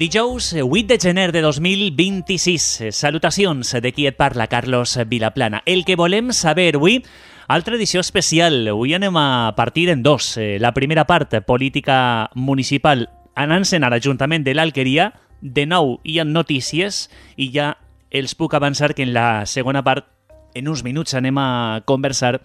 Dijous 8 de gener de 2026. Salutacions de qui et parla, Carlos Vilaplana. El que volem saber avui, altra edició especial. Avui anem a partir en dos. La primera part, política municipal, anant-se'n a l'Ajuntament de l'Alqueria. De nou hi ha notícies i ja els puc avançar que en la segona part, en uns minuts, anem a conversar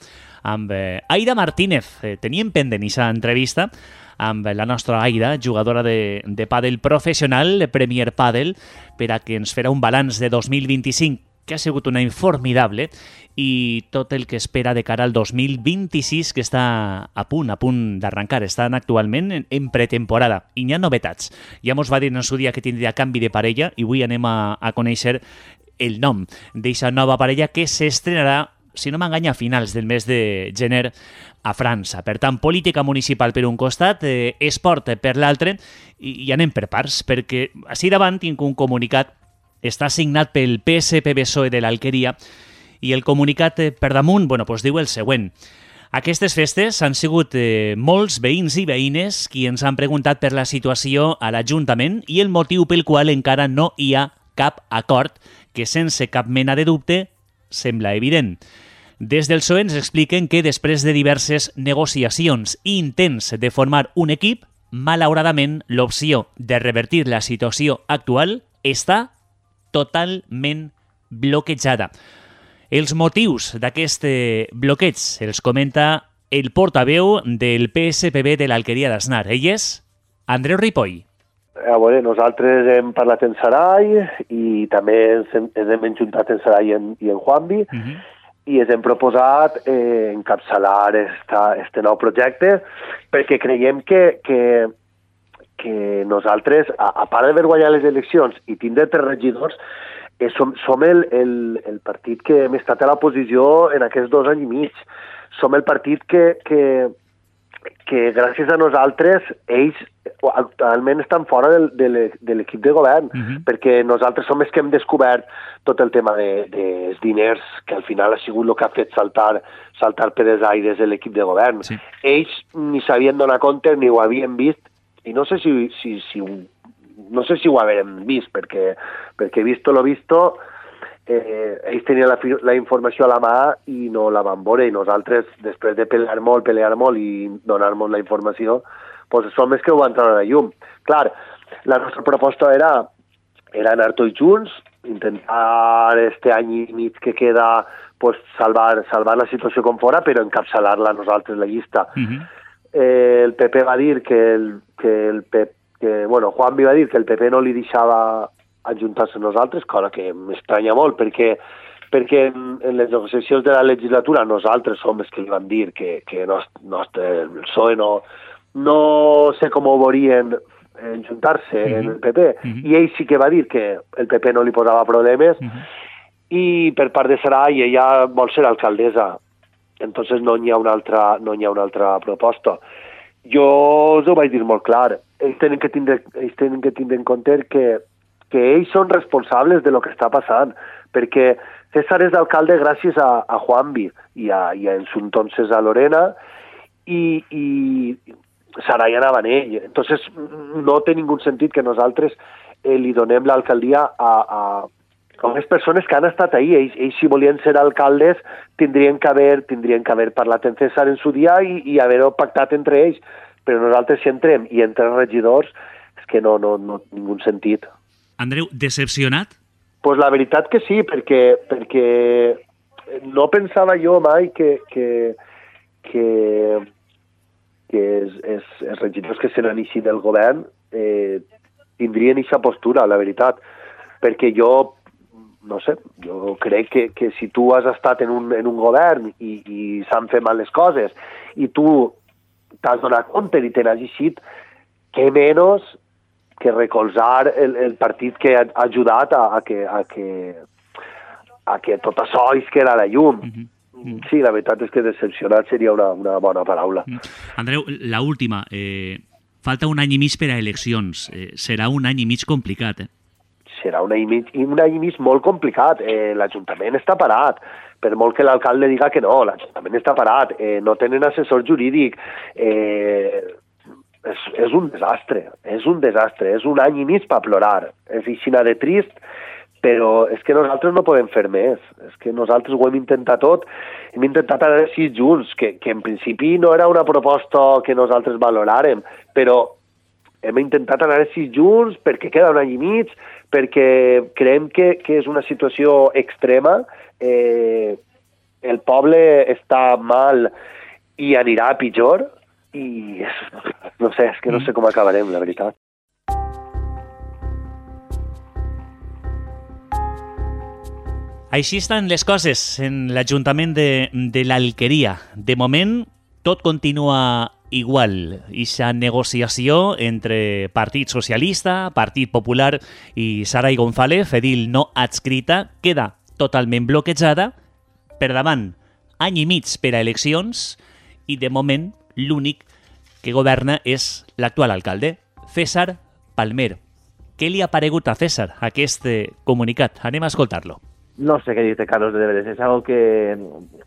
amb Aida Martínez. Teníem pendent aquesta entrevista amb la nostra Aida, jugadora de pàdel professional, Premier Pàdel, per a que ens farà un balanç de 2025, que ha sigut un any formidable, i tot el que espera de cara al 2026, que està a punt d'arrencar. Estan actualment en pretemporada, i hi ha novetats. Ja mos va dir en el seu dia que tindria canvi de parella, i avui anem a conèixer el nom d'aquesta nova parella que s'estrenarà, si no m'enganya, a finals del mes de gener a França. Per tant, política municipal per un costat, esport per l'altre, i anem per parts, perquè així davant tinc un comunicat, està signat pel PSPB-PSOE de l'Alqueria, i el comunicat per damunt diu el següent. Aquestes festes han sigut molts veïns i veïnes qui ens han preguntat per la situació a l'Ajuntament i el motiu pel qual encara no hi ha cap acord, que sense cap mena de dubte sembla evident. Des del PSOE ens expliquen que després de diverses negociacions i intents de formar un equip, malauradament l'opció de revertir la situació actual està totalment bloquejada. Els motius d'aquest bloqueig els comenta el portaveu del PSPB de l'Alqueria d'Asnar. Ell és Andreu Ripoll. A veure, nosaltres hem parlat en Sarai i també ens hem enjuntat en Sarai i en Juanvi, i ens hem proposat encapçalar este nou projecte perquè creiem que nosaltres, a part d'haver guanyat les eleccions i tindre 3 regidors, som el partit que hem estat a l'oposició en aquests 2 anys i mig. Som el partit que gràcies a nosaltres ells actualment estan fora de l'equip de govern, perquè nosaltres som els que hem descobert tot el tema dels diners, que al final ha sigut el que ha fet saltar per els aires de l'equip de govern. Sí. Ells ni s'havien donat compte ni ho havien vist, i no sé si ho havíem vist, perquè visto lo visto, ells tenien la informació a la mà i no la van veure, i nosaltres, després de pelear molt i donar-nos la informació, som els que ho van treure a la llum. Clar, la nostra proposta era anar tots junts, intentar este any i mig que queda salvar la situació com fora, però encapçalar-la nosaltres, la llista. El PP va dir Juanvi va dir que el PP no li deixava ajuntar-se a nosaltres, cosa que m'estranya molt, perquè en les negociacions de la legislatura nosaltres som els que li vam dir que el PSOE no sé com ho veurien ajuntar-se en el PP, i ell sí que va dir que el PP no li posava problemes, i per part de Sarai ella vol ser alcaldessa, entonces no hi ha una altra proposta. Jo us ho vaig dir molt clar, ells tenen que tindre en compte que ells són responsables de lo que està passant, perquè César és d'alcalde gràcies a Juanvi i en su entonces a Lorena, i Sarai anava en ell. Entonces no té ningú sentit que nosaltres li donem l'alcaldia a unes persones que han estat ahí. Ells si volien ser alcaldes tindrien que haver parlat amb César en su dia i haver-ho pactat entre ells, però nosaltres si entrem i entrem regidors és que no ningú sentit. Andreu, decepcionat? Pues la veritat que sí, perquè no pensava jo mai que els regidors que se n'anissin del govern tindrien aquesta postura, la veritat, perquè jo crec que si tu has estat en un govern i s'han fet mal les coses i tu t'has donat compte i te n'has eixit, què menys que recolzar el partit que ha ajudat a que tot això es queda a la llum. Sí, la veritat és que decepcionat seria una bona paraula. Andreu, la última. Falta un any i mig per a eleccions. Serà un any i mig complicat, Serà un any i mig molt complicat. L'Ajuntament està parat. Per molt que l'alcalde diga que no, l'Ajuntament està parat. No tenen assessor jurídic. és un desastre, és un any i mig per plorar, és aixina de trist, però és que nosaltres no podem fer més, és que nosaltres ho hem intentat tot, hem intentat anar així junts, que en principi no era una proposta que nosaltres valoràrem, però hem intentat anar així junts perquè queda un any i mig, perquè creiem que és una situació extrema, el poble està mal i anirà a pitjor, i no sé, és que no sé com acabarem, la veritat. Així estan les coses en l'Ajuntament de l'Alqueria. De moment, tot continua igual. Ixa negociació entre Partit Socialista, Partit Popular i Saray González, edil no adscrita, queda totalment bloquejada. Per davant, any i mig per a eleccions i, de moment, l'únic que governa és l'actual alcalde, César Palmer. Què li ha paregut a César aquest comunicat? Anem a escoltar-lo. No sé què dir-te, Carlos, de veres. És algo que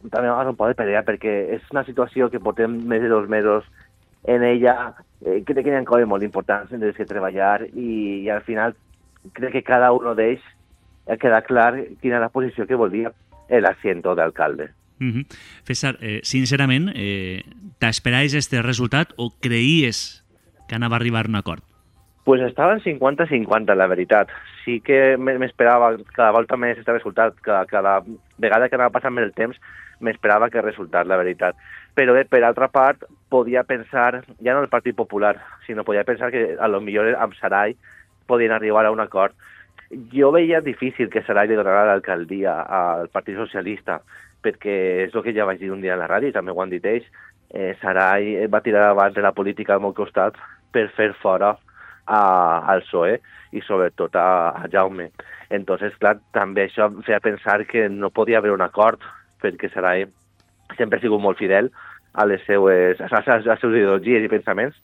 també no pot pelear, perquè és una situació que portem més de 2 mesos en ella. Crec que hi ha coses molt importants en les que treballar i al final crec que cada un d'ells ha quedat clar quina és la posició que volia l'assento d'alcalde. César, sincerament, t'esperaves este resultat o creies que anava a arribar a un acord? Pues estaven 50-50, la veritat. Sí que m'esperava cada volta més este resultat, cada vegada que anava passant més el temps, m'esperava que resultat, la veritat. Però bé, per altra part, podia pensar, ja no el Partit Popular, sinó podia pensar que a lo millor amb Saray podien arribar a un acord. Jo veia difícil que Saray li donarà l'alcaldia al Partit Socialista, perquè és el que ja vaig dir un dia a la ràdio, i també ho han dit ells, Saray va tirar davant de la política al meu costat per fer fora al PSOE i sobretot a Jaume. Entonces, clar, també això em feia pensar que no podia haver un acord, perquè Saray sempre ha sigut molt fidel a les seues ideologies i pensaments,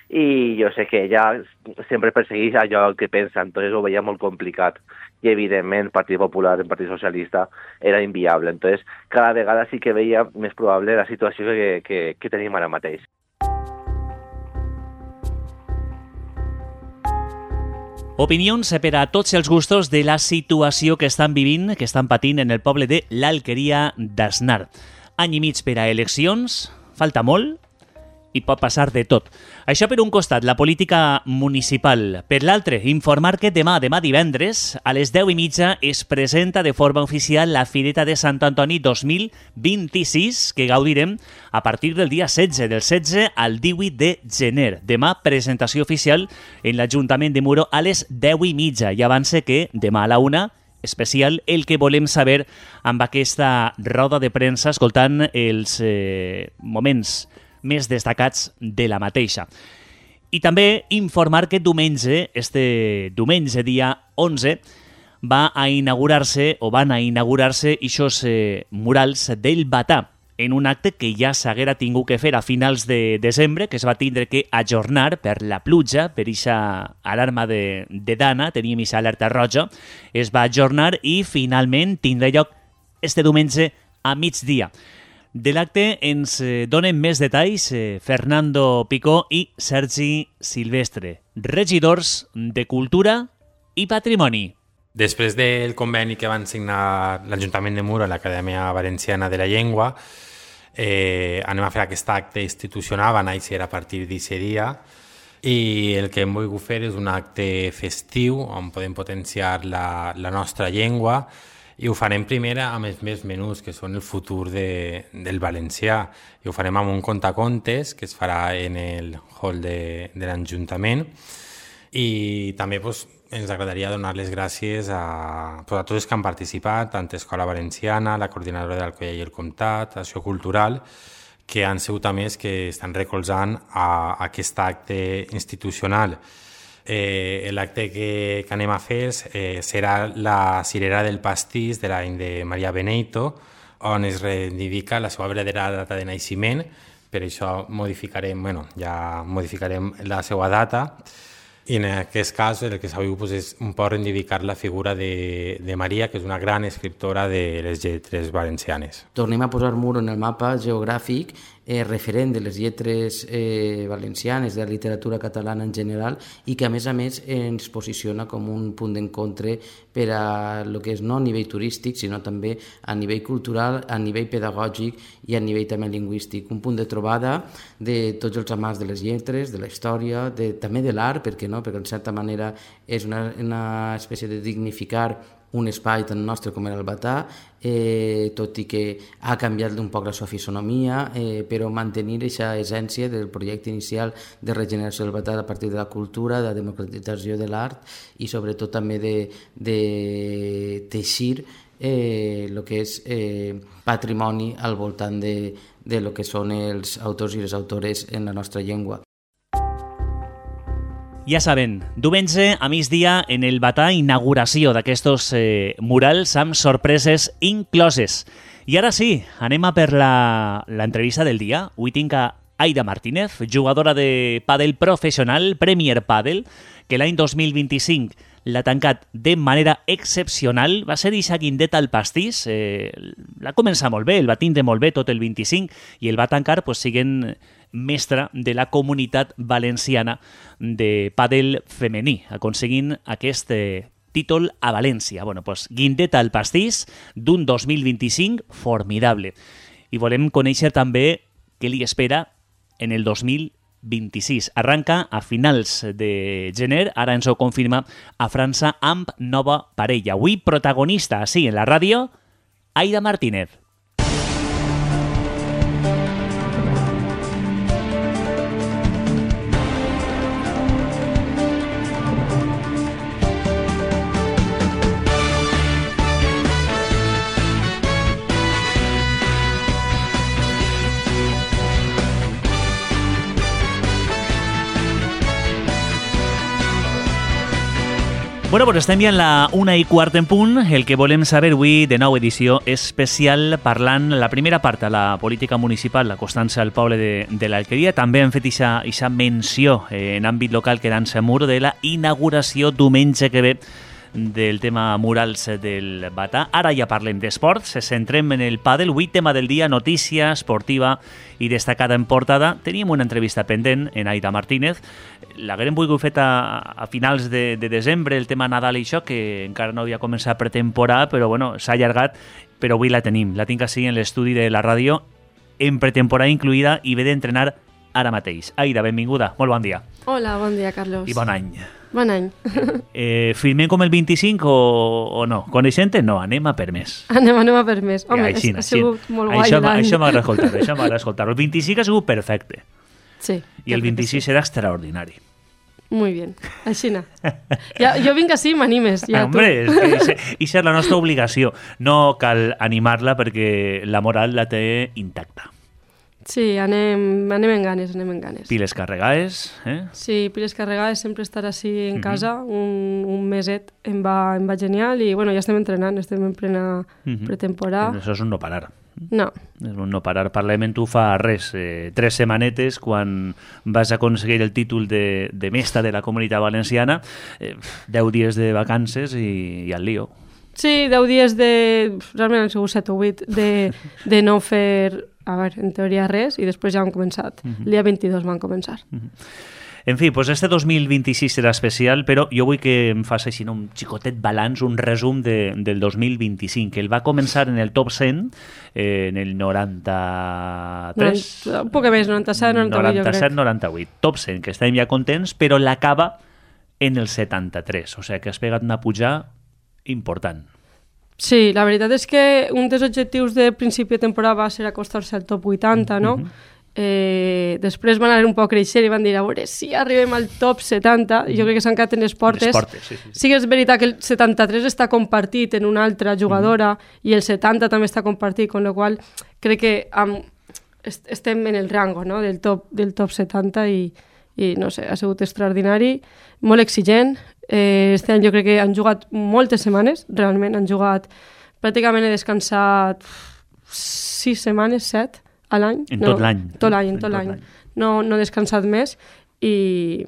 i jo sé que ella sempre persegueix allò que pensa, entonces ho veia molt complicat. I evidentment, Partit Popular i Partit Socialista era inviable. Entonces, cada vegada sí que veia més probable la situació que tenim ara mateix. Opinions per a tots els gustos de la situació que estan vivint, que estan patint en el poble de l'Alqueria d'Asnar. Any i mig per a eleccions, falta molt i pot passar de tot. Això per un costat, la política municipal. Per l'altre, informar que demà divendres, a les 10:30, es presenta de forma oficial la Fireta de Sant Antoni 2026, que gaudirem a partir del dia 16, del 16 al 18 de gener. Demà, presentació oficial en l'Ajuntament de Muro a les 10:30. I avance que demà a la 1, especial el que volem saber amb aquesta roda de premsa, escoltant els moments més destacats de la mateixa. I també informar que este diumenge, dia 11, van a inaugurar-se ixos murals del Batà, en un acte que ja s'haguera tingut que fer a finals de desembre, que es va tindre que ajornar per la pluja, per aquesta alarma de Dana, teníem aquesta alerta roja, es va ajornar i finalment tindrà lloc este diumenge a migdia. De l'acte ens donen més detalls Fernando Picó i Sergi Silvestre, regidors de Cultura i Patrimoni. Després del conveni que van signar l'Ajuntament de Muro i l'Acadèmia Valenciana de la Llengua, anem a fer aquest acte institucional, va néixer a partir d'aquest dia, i el que hem volgut fer és un acte festiu on podem potenciar la nostra llengua, i ho farem primer amb els més menús, que són el futur del valencià, i ho farem amb un contacontes que es farà en el hall de l'Ajuntament, i també ens agradaria donar les gràcies a tots els que han participat, tant Escola Valenciana, la Coordinadora d'Alcoià i el Comtat, Acció Cultural, que han sigut també els que estan recolzant a aquest acte institucional. L'acte que anem a fer serà la cirera del pastís de l'any de Maria Beneito, on es reivindica la seva verdadera data de naixement. Per això modificarem la seva data, i en aquest cas el que s'ha volgut és un poc reivindicar la figura de Maria, que és una gran escriptora de les lletres valencianes. Tornem a posar Muro en el mapa geogràfic referent de les lletres valencianes, de la literatura catalana en general, i que a més ens posiciona com un punt d'encontre per a el que és no a nivell turístic, sinó també a nivell cultural, a nivell pedagògic i a nivell també lingüístic. Un punt de trobada de tots els amants de les lletres, de la història, també de l'art, perquè no? Perquè en certa manera és una espècie de dignificar un espai tan nostre com era el Batà, tot i que ha canviat un poc la seva fisonomia, però mantenir aquesta essència del projecte inicial de regeneració del Batà a partir de la cultura, de la democratització de l'art i sobretot també de teixir el que és patrimoni al voltant de lo que són els autors i les autores en la nostra llengua. Ja saben, diumenge a migdia en el Batà, inauguració d'aquestos murals amb sorpreses incloses. I ara sí, anem a per l'entrevista del dia. Avui tinc a Aida Martínez, jugadora de pàdel professional, Premier Pàdel, que l'any 2025 l'ha tancat de manera excepcional. Va ser eixa guindeta al pastís, l'ha començat molt bé, el va tindre molt bé tot el 25 i el va tancar siguent mestra de la comunitat valenciana de pàdel femení, aconseguint aquest títol a València. Bueno, guindeta al pastís d'un 2025 formidable. I volem conèixer també què li espera en el 2026. Arranca a finals de gener, ara ens ho confirma a França amb nova parella. Avui protagonista, així en la ràdio, Aida Martínez. Bueno, pues estem ja en la 1:15 en punt. El que volem saber avui de nou edició especial parlant la primera part de la política municipal acostant-se al poble de l'Alqueria. També hem fet aquesta menció en àmbit local quedant-se mur de la inauguració diumenge que ve del tema murals del Batà. Ara ja parlem d'esports, centrem en el pàdel. Avui tema del dia, notícia esportiva i destacada en portada. Teníem una entrevista pendent en Aida Martínez. L'haguem volgut fet a finals de desembre, el tema Nadal i això, que encara no havia començat pretemporada, però bueno, s'ha allargat, però avui la tenim. La tinc així en l'estudi de la ràdio, en pretemporada incluïda, i ve d'entrenar ara mateix. Aida, benvinguda, molt bon dia. Hola, bon dia, Carlos. I bon any. Bon any. Firmem com el 25 o no? Coneixent-te? No, anem a per més. Anem a per més. Home, ha sigut molt guai l'any. Això m'agrada escoltar. El 25 ha sigut perfecte. Sí. I el 26 serà extraordinari. Muy bien, així no. Jo vinc així i m'animes. Ja, hombre, és la nostra obligació. No cal animar-la perquè la moral la té intacta. Sí, anem en ganes. Piles carregades, eh? Sí, piles carregades, sempre estar així en casa, un meset em va genial i bueno, ja estem entrenant, estem en plena pretemporada. Això és un no parar. No. És un no parar. Parlem en tu fa res, 3 setmanetes, quan vas aconseguir el títol de mestra de la Comunitat Valenciana, 10 dies de vacances i al lío. Sí, 10 dies realment han sigut 7 o 8 de no fer, a veure, en teoria res, i després ja han començat. El dia 22 van començar. En fi, doncs este 2026 serà especial, però jo vull que em faci així un xicotet balanç, un resum del 2025, que el va començar en el top 100, en el 93... Un poc més, 97, 98, jo crec. 98, top 100, que estem ja contents, però l'acaba en el 73, o sigui que has pegat una pujada important. Sí, la veritat és que un dels objectius de principi de temporada va ser acostar-se al top 80, no? Després van anar un poc creixent i van dir, a veure, si arribem al top 70, jo crec que s'han quedat en les portes. Sí que és veritat que el 73 està compartit en una altra jugadora i el 70 també està compartit, amb la qual crec que estem en el rango, no? del top 70 i no sé, ha sigut extraordinari, molt exigent. Este any jo crec que han jugat moltes setmanes, realment han jugat, pràcticament he descansat 6 setmanes, 7 a l'any. En tot l'any. Tot l'any. No he descansat més i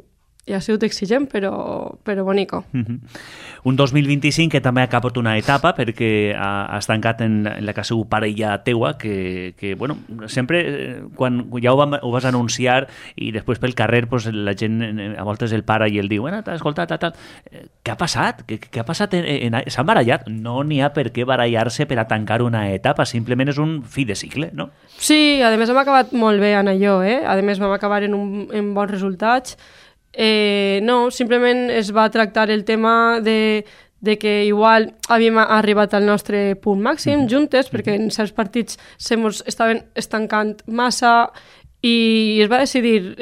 i ha sigut exigent, però bonico. Un 2025 que també ha acabat una etapa perquè has tancat en la que ha sigut parella teua, que bueno, sempre quan ja ho vas anunciar i després pel carrer pues, la gent a voltes el para i el diu, bueno, t'has escoltat, tal. Què ha passat? Què ha passat? S'han barallat? No n'hi ha per què barallar-se per a tancar una etapa, simplement és un fi de cicle, no? Sí, a més hem acabat molt bé en allò, a més vam acabar en bons resultats. No, simplement es va tractar el tema de que igual havíem arribat al nostre punt màxim juntes, perquè en certs partits estaven estancant massa i es va decidir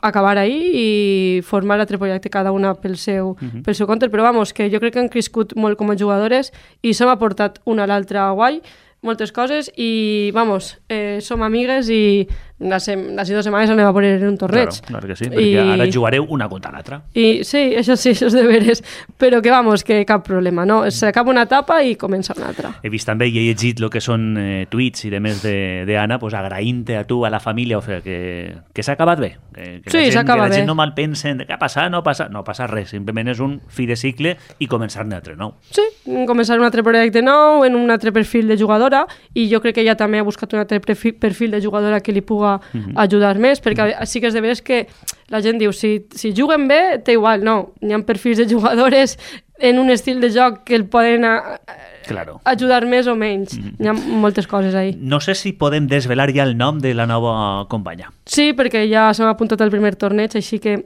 acabar ahí i formar altre projecte cada una pel seu compte, però vamos, que jo crec que han crescut molt com a jugadores i s'hem aportat una a l'altra guai, moltes coses i, vamos, som amigues i les 2 setmanes anem a poner en un torneig. Claro que sí, perquè ara jugareu una contra l'altra. I sí, això és de veres, però que, vamos, que cap problema, no? S'acaba una etapa i comença una altra. He vist també i he llegit el que són tuits i demés d'Anna, pues, agraint-te a tu, a la família, o sigui, que s'ha acabat bé. Sí, s'acaba bé. Que la gent no mal pensen què ha passat, no passa res, simplement és un fi de cicle i començar un altre nou. Sí, començar un altre projecte nou, en un altre perfil de jugadora, i jo crec que ella també ha buscat un altre perfil de jugadora que li puga ajudar més, perquè sí que és de veres que la gent diu, si juguen bé, té igual, no, hi ha perfils de jugadores en un estil de joc que el poden ajudar més o menys. Hi ha moltes coses ahí. No sé si podem desvelar ja el nom de la nova companya. Sí, perquè ja s'ha apuntat al primer torneig, així que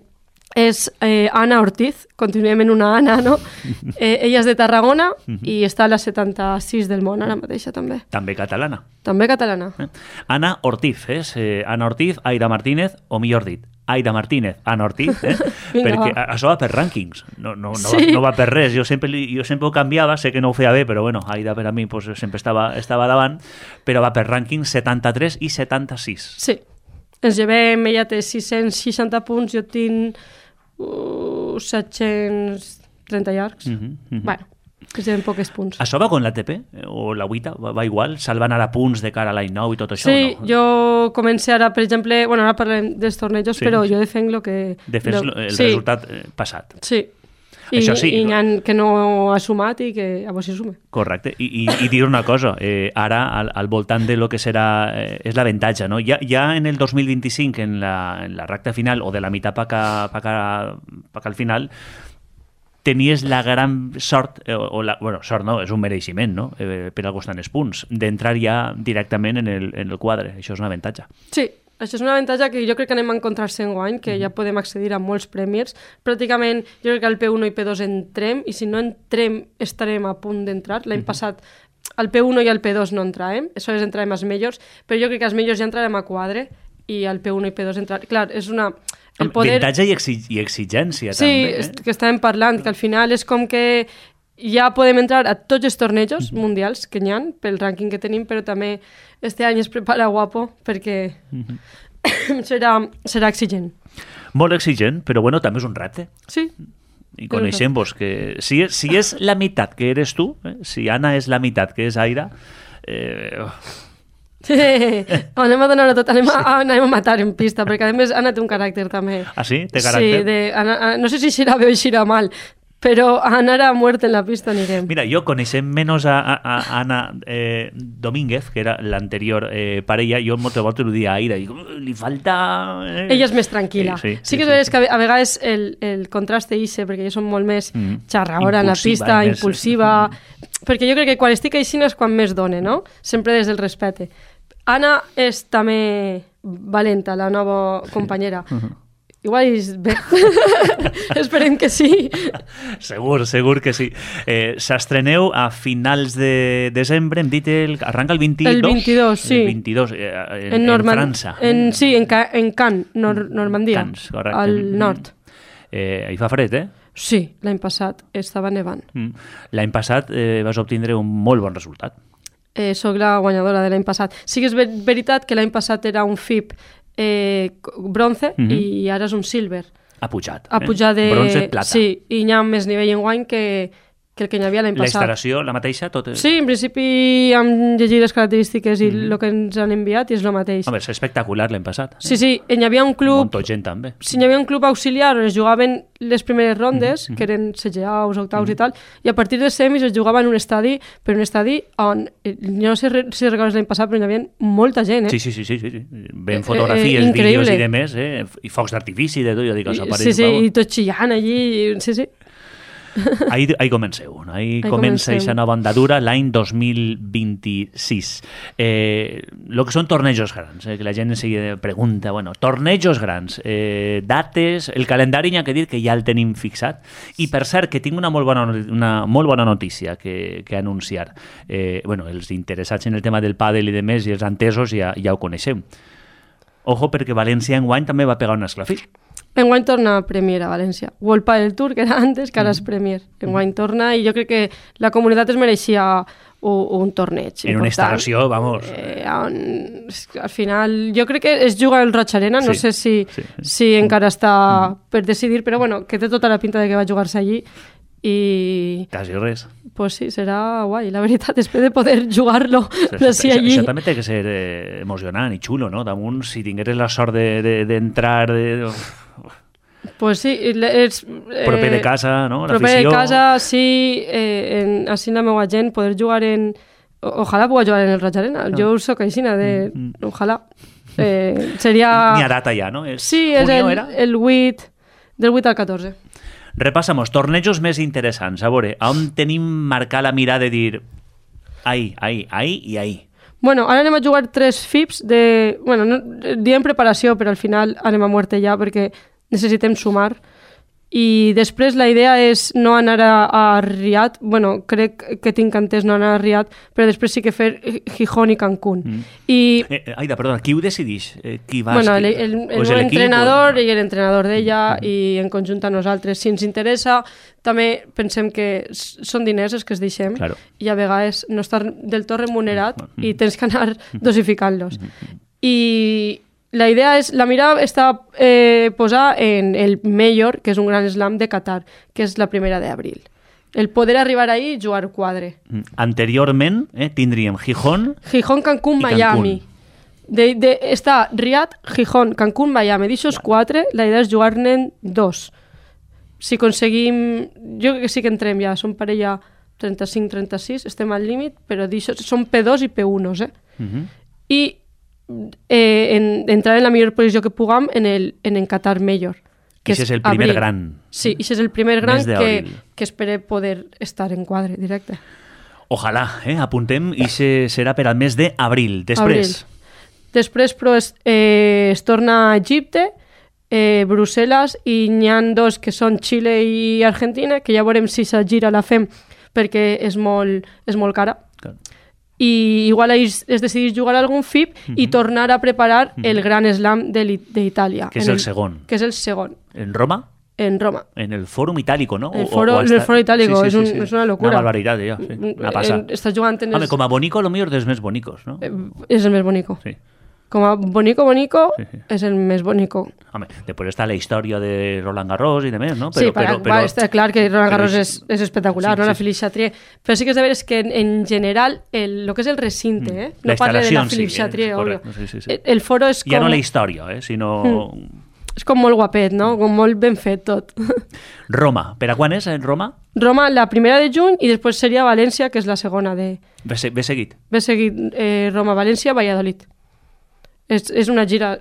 és Ana Ortiz, continuem en una Ana, no? Ella és de Tarragona i està a la 76 del món ara mateixa, també. També catalana. També catalana. Ana Ortiz, Ana Ortiz, Aida Martínez, o millor dit, Aida Martínez, Ana Ortiz, perquè això va per rànquings, no va per res. Jo sempre ho canviava, sé que no ho feia bé, però bueno, Aida per a mi pues, sempre estava davant, però va per rànquings 73 i 76. Sí, ens llevem, ella té 660 punts, jo tinc 730 llargs. Bueno, que seran poques punts. Això va con l'ATP? O la UITA? Va igual? Se'l van anar a punts de cara a l'any nou i tot això? Sí, no? jo comencé ara, per exemple, bueno, ara parlem dels tornejos, però jo defenc el que... Defens el resultat passat. Sí. I hi ha que no ha sumat i que a vos hi sume. Correcte. I dir una cosa, ara al voltant de lo que serà és l'avantatge, no? Ja en el 2025, en la recta final o de la meitat pa al final, tenies la gran sort, sort no, és un mereixement, no? Per al costat dels punts, d'entrar ja directament en el quadre. Això és un avantatge. Sí. Això és un avantatge que jo crec que anem a encontrar-se enguany, que ja podem accedir a molts premis. Pràcticament, jo crec que al P1 i P2 entrem, i si no entrem, estarem a punt d'entrar. L'any passat, al P1 i al P2 no entràvem, això és entràvem als majors, però jo crec que als majors ja entrarem a quadre, i al P1 i P2 entrar... Clar, és una... Avantatge i exigència, també. Sí, que estàvem parlant, que al final és com que ja podem entrar a tots els tornejos mundials que n'hi ha, pel rànquing que tenim, però també este any es prepara guapo, perquè serà exigent. Molt exigent, però bueno, també és un repte. Sí. I coneixem-vos que si és la meitat que eres tu, si Anna és la meitat que és Aida... anem a donar-ho tot, anem a matar en pista, perquè a més Anna té un caràcter també. Ah, sí? Té caràcter? Sí, no sé si xirà bé o xirà mal, però a anar a muerte en la pista anirem. Mira, jo coneixem menys a Ana Domínguez, que era l'anterior parella, jo moltes voltes ho dia a Aida, i li falta... Ella és més tranquil·la. Sí que és que a vegades el contraste ixe, perquè jo som molt més xarraora en la pista, impulsiva, perquè jo crec que quan estic així és quan més done, no? Sempre des del respecte. Anna és també valenta, la nova companyera. Igual és bé. Esperem que sí. Segur que sí. S'estreneu a finals de desembre, hem dit, arranca el 22? El 22, sí. El 22, en França. Sí, en Cannes, Normandia, Cannes, correcte. al nord. Hi fa fred, eh? Sí, l'any passat estava nevant. L'any passat vas obtindre un molt bon resultat. Soc la guanyadora de l'any passat. Sí que és veritat que l'any passat era un FIP bronze i ara és un silver. Ha pujat. Ha pujat de... Bronze, plata. Sí, i hi ha més nivell enguany que que el que hi havia l'any La passat. instal·lació, la mateixa? Tot... Sí, en principi hem llegit les característiques i el que ens han enviat i és el mateix. Home, és espectacular l'any passat. Sí, hi havia un Un club... munt de gent també. Sí, hi havia un club auxiliar on es jugaven les primeres rondes, que eren CGAs, octaus i tal, i a partir de semis es jugava en un estadi, però un estadi on, jo no sé si recordes l'any passat, però hi havia molta gent, Sí. Ben fotografies, vídeos i demés, i focs d'artifici, de tot, jo dic, Sí, i tot xillant allí, sí. Ahí comenceu, no? Ahí comença aquesta nova andadura l'any 2026. Lo que són tornejos grans, que la gent enseguida pregunta, bueno, tornejos grans, dates, el calendari n'hi ha que dir que ja el tenim fixat, i per cert que tinc una molt bona notícia que anunciar. Els interessats en el tema del pàdel i demés i els entesos ja ho coneixeu. Ojo, perquè València enguany també va pegar un esclafí. Enguany torna a Premier a València. World Padel Tour, que era antes, que ara és Premier. Enguany torna i jo crec que la comunitat es mereixia un torneig. En una instal·lació, vamos... Al final, jo crec que es juga al Roig Arena, no sé si encara està per decidir, però bueno, que té tota la pinta de que va jugar-se allí i... Quasi res. Pues sí, serà guai, la veritat, després de poder jugar-lo d'ací allí. Això també té que ser emocionant i xulo, no? Damunt, si tingueres la sort d'entrar... Pues sí, proper de casa, no? Proper de casa, sí, així la meva gent, poder jugar en... Ojalà pugui jugar en el Roig Arena. Jo soc aixina de... Ojalà. Seria... N'hi ha data ja, no? Sí, és el 8, del 8 al 14. Repassamos, tornejos més interessants. A veure, on tenim marcar la mirada de dir ahí i ahí? Bueno, ara anem a jugar 3 FIPs de... Bueno, diem preparació, però al final anem a muerte ja perquè necessitem sumar. I després la idea és no anar a Riad. Bueno, crec que tinc entès no anar a Riad, però després sí que fer Gijón i Cancún. Aida, perdona, qui ho decideix? Qui vas? Bueno, el meu entrenador i l'entrenador d'ella i en conjunt a nosaltres. Si ens interessa, també pensem que són diners els que es deixem i a vegades no estar del tot remunerat i tens que anar dosificant-los. I la idea és, la mira està posar en el Major, que és un gran slam de Qatar, que és la 1 d'abril. El poder arribar ahí i jugar quadre. Anteriorment tindríem Gijón, Cancún, Miami. Està Riad, Gijón, Cancún, Miami. D'aixòs 4, la idea és jugar-ne 2. Si aconseguim... Jo crec que sí que entrem ja, som parella 35-36, estem al límit, però d'aixòs són P2 i P1, I entrar en la millor posició que puguem en el Qatar Major. Que és el primer gran. Sí, és el primer gran que espere poder estar en quadre directe. Ojalà, apuntem, i serà per al mes d'abril. Després, però, es torna a Egipte, Brussel·les, i n'hi ha 2 que són Xile i Argentina, que ja veurem si sa gira la fem perquè és molt cara. I igual es decidís jugar algun FIP i tornar a preparar el Gran Slam d'Itàlia. Que és el segon. Que és el segon. En Roma? En Roma. En el Fòrum Itálico, ¿no? El Foro Itálico, és una locura. Una barbaritat, ja. Una passa. Estàs jugant en Home, com a bonico, lo millor dels més bonicos, no? És el més bonico. Sí. Com a bonico, és el més bonico. Home, després està la història de Roland Garros i de més, no? Però està clar que Roland Garros és espectacular, no? La Philippe Chatrier. Però sí que és de veres que en general, el que és el recinte, no parle de la Philippe Chatrier, obvio. El foro és com... Ja no la història, sinó... És com molt guapet, no? Com molt ben fet tot. Roma. Per a quan és, Roma? Roma, la 1 de juny, i després seria València, que és la segona de... Ve seguit? Ve seguit Roma, València, Valladolid. És una gira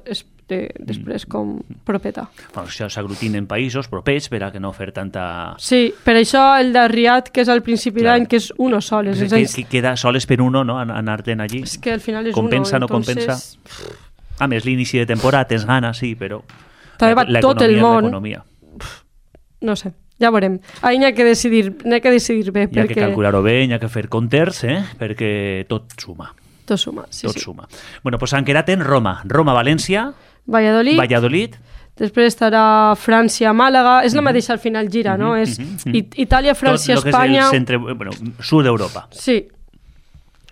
després com propeta. Bueno, això s'aglutinen països propers per a que no fer tanta... Sí, per això el de Riad, que és al principi d'any, que és uno sol. Que queda soles per uno, no? Anar-te'n allí. És que al final és compensa, uno. No compensa? A més, l'inici de temporada tens gana, sí, però... També va tot el món. L'economia. No sé, ja veurem. Ahí n'hi ha que decidir bé. N'hi ha que calcular-ho bé, n'hi ha que fer compters, perquè tot suma. Tot suma, sí. Tot suma. Bueno, doncs han quedat en Roma. Roma, València, Valladolid. Després estarà França, Màlaga. És la mateixa al final gira, no? És Itàlia, França, Espanya... Tot el que és el sud d'Europa. Sí.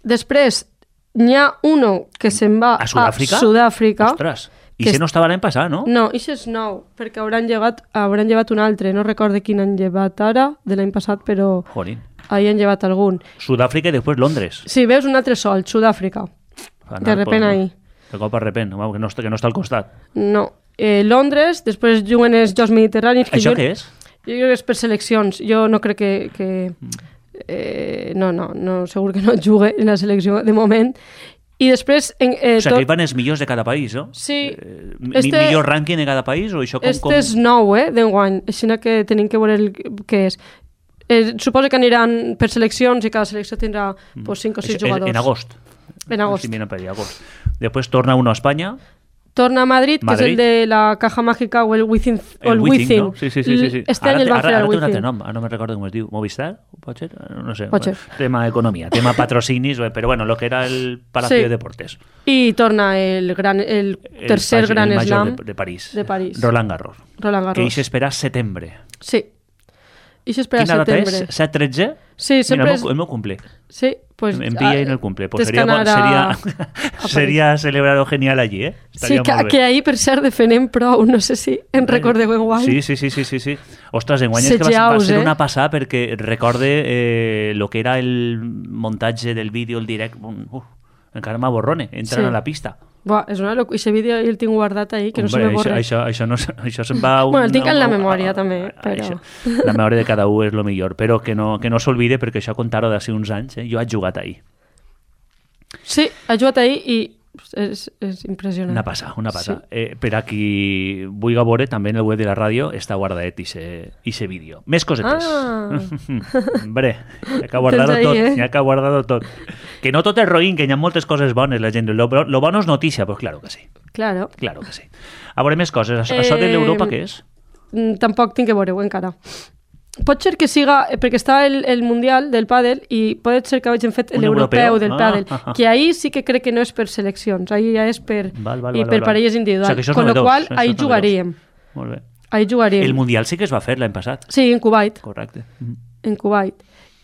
Després n'hi ha uno que se'n va a Sud-àfrica. Ostres, i això no estava l'any passat, no? No, això és nou, perquè hauran llevat un altre. No recordo quin han llevat ara, de l'any passat, però... Jolín. ahir han llevat algun. Sud-àfrica i després Londres. Sí, veus un altre sol, Sud-àfrica. De repent ahir. De cop a repent, que no està al costat. No. Londres, després juguen els Jocs Mediterranis. Això què és? Jo crec que és per seleccions. Jo no crec que no, segur que no jugue en la selecció de moment. I després... o sigui, que hi van els millors de cada país, no? Sí. Millor rànquing de cada país? O això com... és nou, d'enguany. Així que tenim que veure què és. Suposo que aniran per seleccions i cada selecció tindrà 5 o 6 jugadors. En agost. En agost. Sí, agost. Després torna uno a Espanya. Torna a Madrid, que és el de la Caja Mágica o el Within. El Within, no? Sí. Este any el van fer al Within. Ara té un nom, no me'n recordo com es diu. Movistar? Pot ser? No sé. Pot ser. Tema economia, tema patrocinis, però bueno, lo que era el Palacio de Deportes. I torna el tercer Gran Slam de París. De París. Roland Garros. Que hi s'espera setembre. Sí. I s'espera setembre. Quina data és? 7-13? Sí, sempre el meu cumple. Sí, pues... Em pilla en el cumple. Pues seria celebrar-ho genial allí, eh? Estaria que ahir, per cert, defenem prou. No sé si en recordeu enguany. Sí. Ostres, enguany és que va ser una passada perquè recorde lo que era el muntatge del vídeo, el direct. Encara m'aborrone, entren a la pista. Buah, és una locura. Aquest vídeo el tinc guardat ahir, que no se me borra. Això se'n va... Bueno, el tinc en la memòria, també. Però... La memòria de cada un és el millor, però que no s'olvide, perquè això contar-ho d'ací uns anys, jo he jugat ahir. Sí, he jugat ahir i és impressionant. Una passa. Sí. Per a qui vulgui veure, també en el web de la ràdio està guardat ixe vídeo. Més cosetes. Hombre, hi ha que guardar-ho tot. Que no tot és roïn, que hi ha moltes coses bones, la gent. Lo bueno és notícia, pues claro que sí. Claro que sí. A veure, més coses. Això de l'Europa, què és? Tampoc tinc que veure-ho encara. Pot ser que siga, perquè està el Mundial del pàdel i pot ser que hagin fet l'europeu del pàdel, que ahir sí que crec que no és per seleccions, ahir ja és per parelles individuals, con lo qual ahir jugaríem. Molt bé. Ahir jugaríem. El Mundial sí que es va fer l'any passat. Sí, en Kuwait. Correcte. En Kuwait.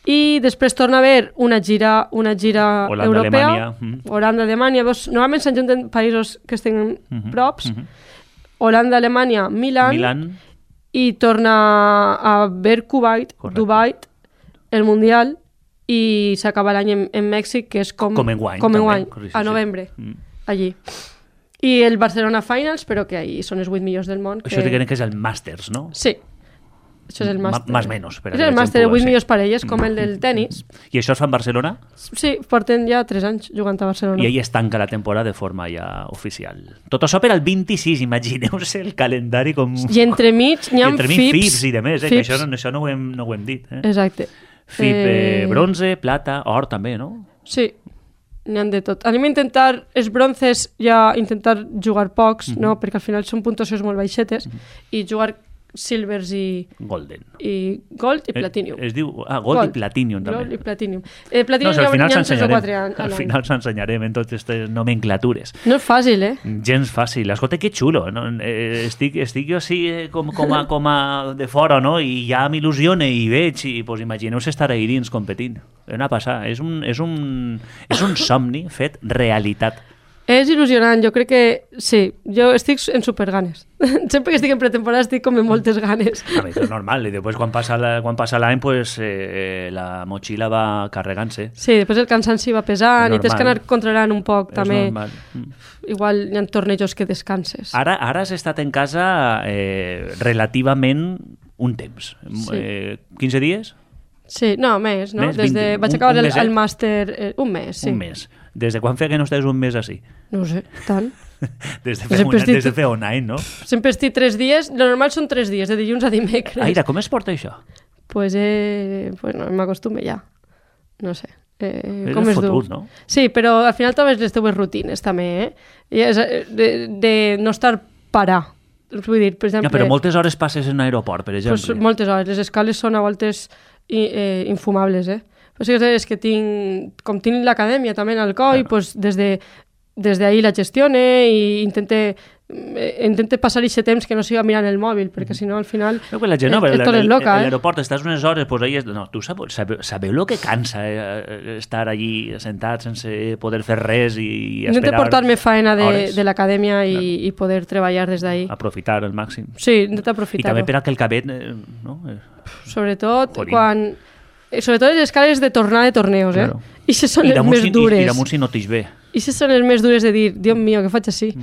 I després torna a haver una gira europea. Holanda, Alemanya. Normalment s'ajunten països que estan props. Holanda, Alemanya, Milan. I torna a ver Kuwait, Dubai, el Mundial, i s'acaba l'any en Mèxic, que és com enguany, a novembre, allí. I el Barcelona Finals, però que ahí són els 8 millors del món. Això que és el Masters, no? Sí. Això és el màster. Más menos. És el màster de 8 millors parelles, com el del tennis. I això es fa en Barcelona? Sí, porten ja 3 anys jugant a Barcelona. I ahí es tanca la temporada de forma ja oficial. Tot això per al 26, imagineu-se el calendari com... I entremig n'hi ha FIPs i demés, que això no ho hem dit. Exacte. FIP bronze, plata, or també, no? Sí, n'hi ha de tot. Anem a intentar, els bronces ja intentar jugar pocs, no? Perquè al final són puntuacions molt baixetes, i jugar silvers i... Golden. I gold i platinum. Es diu... Gold i platinum, també. Gold i platinum. Platinum no, al final s'ensenyarem en totes aquestes nomenclatures. No és fàcil, Gens fàcil. Escolta, que xulo. No? Estic jo així com a de fora, no? I ja m'il·lusione i veig, i pues, imagineu-se estar ahí dins competint. Una passada. És un somni fet realitat. És il·lusionant, jo crec que sí, jo estic en superganes. Sempre que estic en pretemporada estic com amb moltes ganes. És normal, i després quan passa l'any pues, la motxilla va carregant-se. Sí, després el cansanci va pesant i tens que anar controlant un poc és també. Normal. Igual hi ha tornejos que descanses. Ara has estat en casa relativament un temps. Sí. 15 dies? Sí, no, més, no? Vaig acabar el màster un mes, sí. Un mes. Des de quan feia que no estàs un mes així? No ho sé, tant. Des de fer un any, no? Sempre estic 3 dies, lo normal són 3 dies, de dilluns a dimecres. Aira, com es porta això? Pues no, m'acostume ja. No sé. Com és es fotut, du? no? Sí, però al final trobes les teves rutines, també, de no estar parar. Vull dir, per exemple... Ja, però moltes hores passes en aeroport, per exemple. Pues moltes hores. Les escales són a voltes infumables, Pues és que tinc l'acadèmia també en Alcoi, pues des d'ahir la gestione i intente passar aquest temps que no siga mirant el mòbil, perquè si no al final la gent, tot és loca. L'aeroport estàs unes hores, pues ahí no, tu sabeu lo que cansa estar allí sentat sense poder fer res i esperar. Intente portar-me faena de l'acadèmia i poder treballar des d'ahir. Aprofitar al màxim. Sí, intenta aprofitar-ho. I també per a que el cabet... no? Sobretot Jorín. quan sobretot les escales de tornar de torneos, Claro. I se són les més dures. I damunt si no t'ix bé. I se són les més dures de dir, Dios mío, què faig així?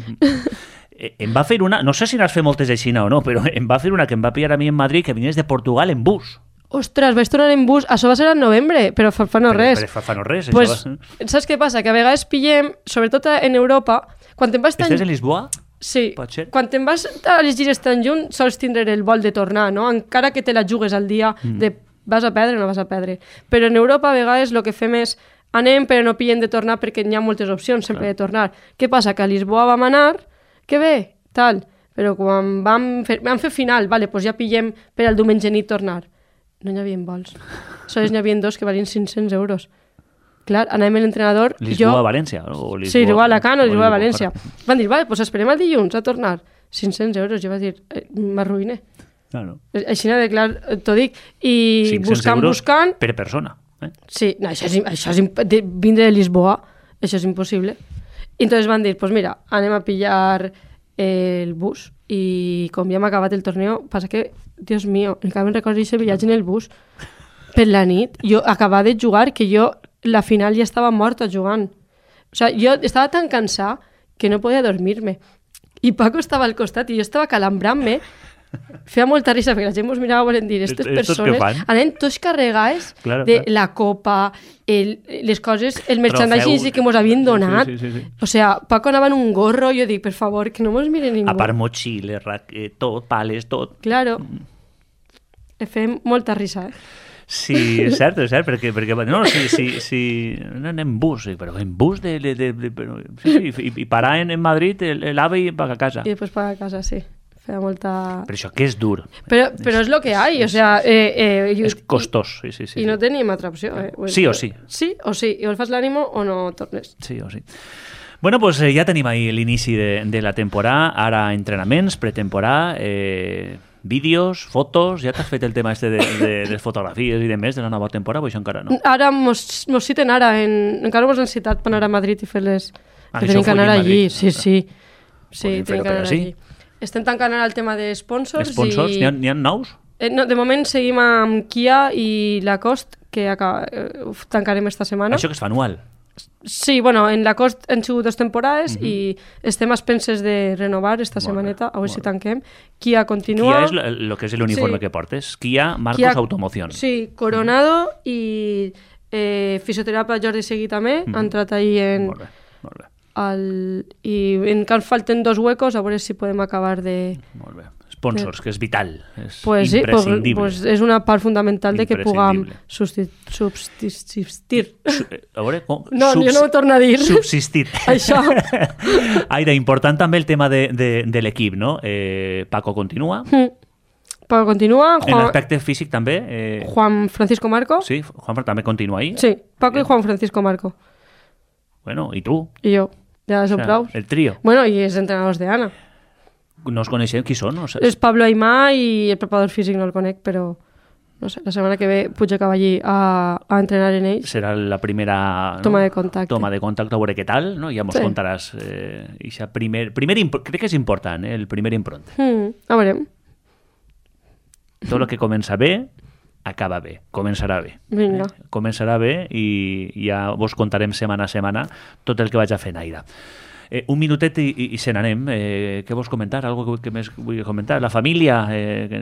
Em va fer una, no sé si n'has fet moltes així o no, però em va fer una que em va pillar a mi en Madrid, que vinies de Portugal en bus. Ostres, vaig tornar en bus, això va ser en novembre, però fa no res. Però fa no res, Pues, això va... saps què passa? Que a vegades pillem, sobretot en Europa, quan te'n vas tan... Estàs en Lisboa? Sí, Pot ser? quan te'n vas a les gires tan junt sols tindre el vol de tornar, no? Encara que te la jugues al dia de vas a perdre o no vas a perdre. Però en Europa a vegades el que fem és anem però no pillem de tornar perquè n'hi ha moltes opcions sempre de tornar. Què passa? Que a Lisboa vam anar, que bé, tal, però quan vam fer final, vale, doncs ja pillem per al diumenge nit tornar. No n'hi havia vols. Sols n'hi havia dos que valien 500 euros. Clar, anàvem l'entrenador... Lisboa-València? O Lisboa... Sí, Lisboa-Alacant o Lisboa-València. Correcte. Van dir, vale, doncs esperem el dilluns a tornar. 500 euros. Jo vaig dir, m'arruïne. Claro. Així, clar, t'ho dic. I 500 euros buscant... per persona. Sí, no, això és vindre de Lisboa, això és impossible. I entonces van dir, pues mira, anem a pillar el bus. I com ja hem acabat el torneo, passa que, Dios mío, encara me'n recordo aquest viatge en el bus per la nit. Jo acabava de jugar que jo la final ja estava morta jugant. O sigui, jo estava tan cansada que no podia dormir-me. I Paco estava al costat i jo estava calambrant-me. Feia molta risa perquè la gent mos mirava volent dir aquestes persones anaven tots carregades de la copa, les coses, el merchandising que mos havien donat. Sí. O sigui, Paco anava en un gorro, jo dic, per favor, que no mos mire ningú. A part motxilles, tot, pales, tot. Claro. Fem molta risa, Sí, és cert, perquè no, si anem en bus, però en bus però, sí, i parar en Madrid l'AVE i pagar a casa. I després pagar a casa, sí. Feia molta... Però això que és dur. Però és lo que hay, o sea... és costós, sí. I no tenim altra opció. Sí o sí. Sí o sí, i o el fas l'ànimo o no tornes. Sí o sí. Bueno, pues ja tenim ahí l'inici de la temporada, ara entrenaments, pretemporada, vídeos, fotos, ja t'has fet el tema este de les fotografies i de més de la nova temporada, o això encara no? Ara mos citen ara, encara mos han citat per anar a Madrid i fer-les... que tenim que anar allí, sí. Sí, tenim que anar allí. Estem tancant ara el tema de sponsors. Sponsors? N'hi ha nous? No, de moment seguim amb Kia i Lacoste, que tancarem esta setmana. Això que es fa anual? Sí, bueno, en Lacoste han sigut 2 temporades i estem a expenses de renovar esta setmaneta, a veure si tanquem. Kia continua. Kia és el que és l'uniforme que portes. Kia Marcos Automoción. Sí, Coronado i fisioterapia Jordi Seguí també. Han entrat ahí en... Molt bé. I encara falten 2 huecos, a veure si podem acabar de... Molt bé. Sponsors, que és vital, és pues imprescindible. Sí, pues és una part fundamental de que puguem subsistir. A veure, com? No, jo no ho torno a dir. Subsistir. Això. Aire, important també el tema de l'equip, no? Paco continua. Paco continua. En l'aspecte físic també. Juan Francisco Marco. Sí, Juan també continua ahí. Sí, Paco i Juan Francisco Marco. Bueno, i tu? I jo. Ja som prou. El trío. Bueno, i els entrenadors de Anna. No els coneixem, qui són? No sé. És Pablo Aimá i el preparador físic no el conec, però no sé, la setmana que ve puig a allí a entrenar en ells. Serà la primera toma de contacte. Toma de contacte, a veure què tal, no? Ja mos contaràs. Crec que és important, el primer impronte. A veurem. Tot el que comença bé, acaba bé, començarà bé. Vinga. Començarà bé i ja vos contarem setmana a setmana tot el que vaig a fer en aire. Un minutet i se n'anem. Què vols comentar? Algo que més vull comentar? La família?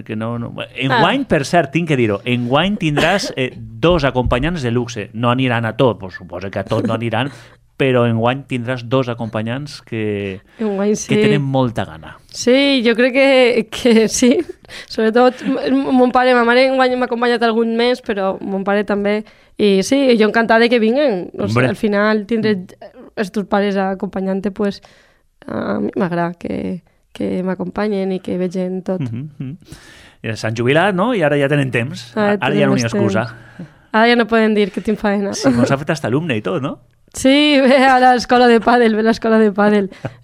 Que no... Enguany, per cert, tinc que dir-ho, enguany tindràs 2 acompanyants de luxe. No aniran a tot, pues, suposo que a tot no aniran, però enguany tindràs 2 acompanyants que tenen molta gana. Sí, jo crec que sí. Sobretot, mon pare i ma mare enguany m'ha acompanyat algun mes, però mon pare també. I sí, jo encantada que vinguen. O sigui, al final tindré els teus pares acompanyant-te, pues, a mi m'agrada que m'acompanyen i que vegin tot. S'han jubilat, no? I ara ja tenen temps. Ara ja no hi ha excusa. Ara ja no poden dir que tinc faena. Sí, mos ha fet hasta alumne i tot, no? Sí, ve a l'escola de pàdel,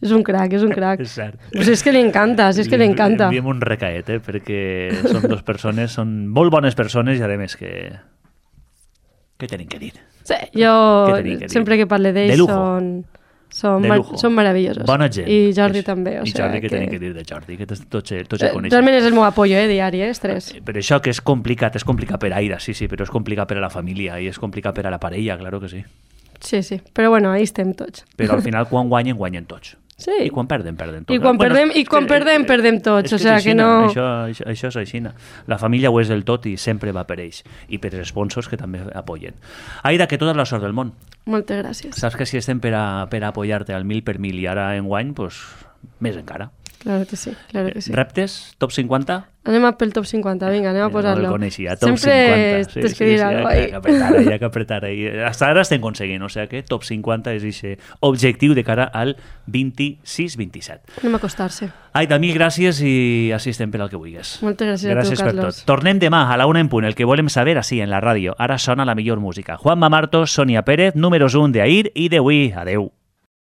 És un crac, és un crac. És cert. Pues és que li encanta, li encanta. Enviem un recaet, perquè són 2 persones, són molt bones persones i a més que... Què tenim que dir? Sí, jo sempre que parle d'ells són... Són meravellosos. Bona gent. I Jordi també. I Jordi, què tenim que dir de Jordi? Que tots el coneixem. Realment és el meu apoyo, diari, els tres. Però això que és complicat per Aida, sí, però és complicat per a la família i és complicat per a la parella, claro que sí. Sí, però bueno, ahí estem tots. Però al final quan guanyen tots. Sí. I quan perden tots. I quan perdem tots, o sigui que no... Això és així. La família ho és del tot i sempre va per ells. I per els sponsors que també apoyen. Aida, que tota la sort del món. Moltes gràcies. Saps que si estem per a apoyar-te al 1000 per 1000 i ara enguany, doncs més encara. Claro que sí. Reptes? Top 50? Anem pel top 50, vinga, anem a posar-lo. No el coneixia, top sempre 50. Tens que dir alguna cosa ahí. Hi ha que apretar ahí. Hasta ara estem aconseguint, o sigui que top 50 és aquest objectiu de cara al 26-27. Anem a acostar-se. Aida, mil gràcies i així estem per al que vulguis. Moltes gràcies a tu, Carlos. Tornem demà a la 1 en punt, el que volem saber així en la ràdio. Ara sona la millor música. Juanma Martos, Sonia Pérez, números 1 d'ahir i d'avui. Adeu.